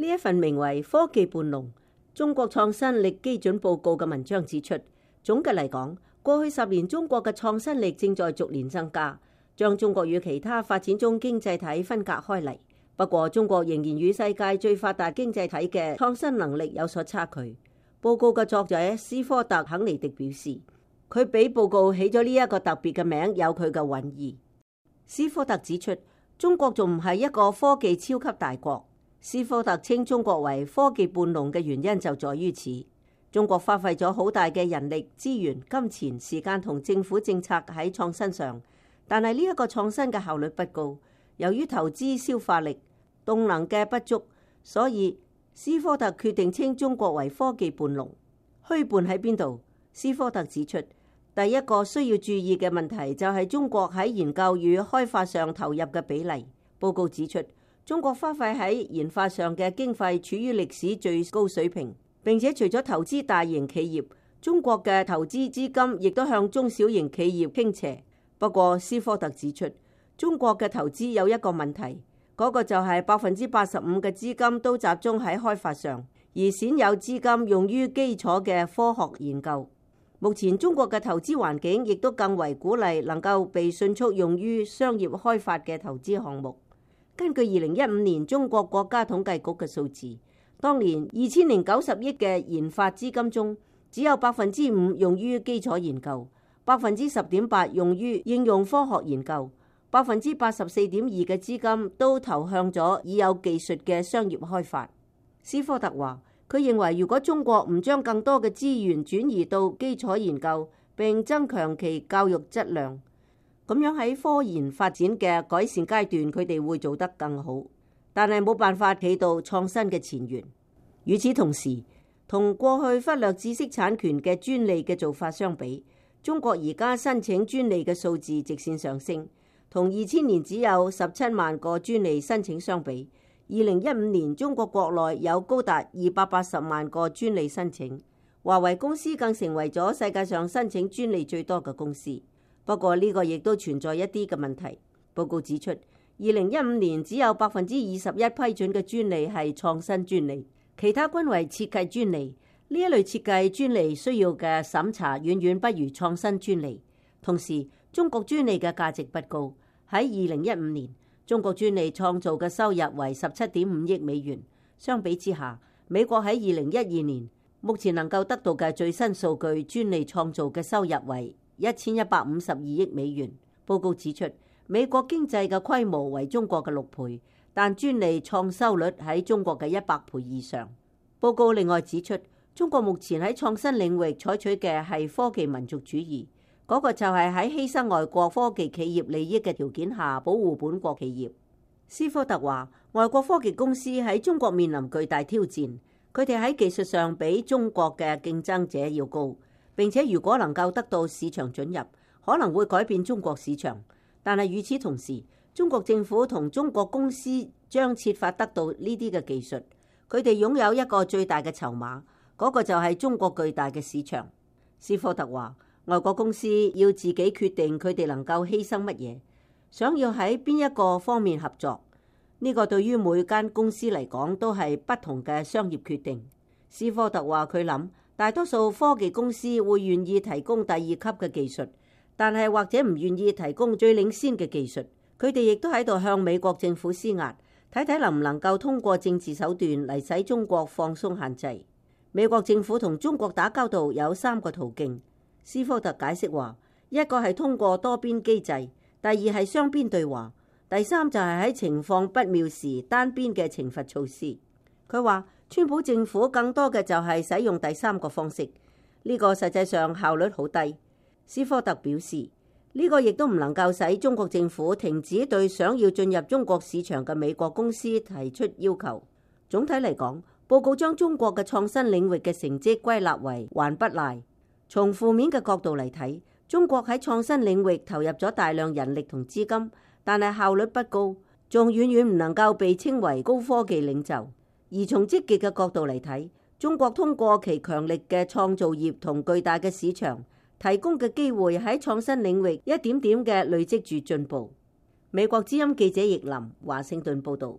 呢一份名為《科技伴龍：中國創新力基準報告》嘅文章指出，總嘅嚟講，過去10年中國嘅創新力正在逐年增加，將中國與其他發展中經濟體分隔開嚟。不過，中國仍然與世界最發達經濟體嘅創新能力有所差距。報告嘅作者斯科特·肯尼迪表示，佢俾報告起咗呢一個特別嘅名，有佢嘅蘊意。斯科特指出，中國仲唔係一個科技超級大國。斯科特稱中國為科技伴龍嘅原因就在於此。中國花費咗好大嘅人力資源、金錢、時間同政府政策喺創新上，但係呢一個創新嘅效率不高。由於投資消化力、動能嘅不足，所以斯科特決定稱中國為科技伴龍。虛伴喺邊度？斯科特指出，第一個需要注意嘅問題就係中國喺研究與開發上投入嘅比例。報告指出，中國花費喺研發上嘅經費處於歷史最高水平，並且除咗投資大型企業，中國嘅投資資金亦都向中小型企業傾斜。不過，斯科特指出，中國嘅投資有一個問題，嗰個就係85%嘅資金都集中喺開發上，而鮮有資金用於基礎嘅科學研究。目前中國嘅投資環境亦都更為鼓勵能夠被迅速用於商業開發嘅投資項目。根據2015年中國國家統計局嘅數字，當年2090億嘅研發資金中，只有5%用於基礎研究，10.8%用於應用科學研究，84.2%嘅資金都投向咗已有技術嘅商業開發。斯科特話，佢認為如果中國唔將更多嘅資源轉移到基礎研究，並增強其教育質量，咁樣喺科研發展嘅改善階段，佢哋會做得更好，但係冇辦法企到創新嘅前沿。與此同時，同過去忽略知識產權嘅專利嘅做法相比，中國而家申請專利嘅數字直線上升，同2000年只有17萬個專利申請相比，2015年中國國內有高達280萬個專利申請，華為公司更成為咗世界上申請專利最多嘅公司。不過呢個亦都存在一啲嘅問題。報告指出，2015年只有21%批准嘅專利係創新專利，其他均為設計專利。呢一類設計專利需要嘅審查遠遠不如創新專利。同時，中國專利嘅價值不高。喺2015年，中國專利創造嘅收入為17.5億美元。相比之下，美國喺2012年目前能夠得到嘅最新數據，專利創造嘅收入為1152億美元。報告指出，美國經濟嘅規模為中國嘅6倍，但專利創收率喺中國嘅100倍以上。報告另外指出，中國目前喺創新領域採取嘅係科技民族主義，嗰個就係喺犧牲外國科技企業利益嘅條件下保護本國企業。斯科特話，外國科技公司喺中國面臨巨大挑戰，佢哋喺技術上比中國嘅競爭者要高。並且如果能夠得到市場准入，可能會改變中國市場。但係與此同時，中國政府同中國公司將設法得到呢啲嘅技術，佢哋擁有一個最大嘅籌碼，嗰個就係中國巨大嘅市場。斯科特話，外國公司要自己決定佢哋能夠犧牲乜嘢，想要喺邊一個方面合作，呢個對於每間公司嚟講都係不同嘅商業決定。斯科特話佢諗，大多數科技公司會願意提供第2級嘅技術，但係或者唔願意提供最領先嘅技術。佢哋亦都喺度向美國政府施壓，睇睇能唔能夠通過政治手段嚟使中國放鬆限制。美國政府同中國打交道有3個途徑。斯科特解釋話，一個係通過多邊機制，第二係雙邊對話，第三就係喺情況不妙時單邊嘅懲罰措施。佢話，川普政府更多嘅就係使用第3個方式，呢個實際上效率好低。斯科特表示，呢個亦都唔能夠使中國政府停止對想要進入中國市場嘅美國公司提出要求。總體嚟講，報告將中國嘅創新領域嘅成績歸納為還不賴。從負面嘅角度嚟睇，中國喺創新領域投入咗大量人力同資金，但係效率不高，仲遠遠唔能夠被稱為高科技領袖。而從積極嘅角度嚟睇，中國通過其強力嘅創造業同巨大嘅市場，提供嘅機會喺創新領域一點點嘅累積住進步。美國之音記者易林華盛頓報導。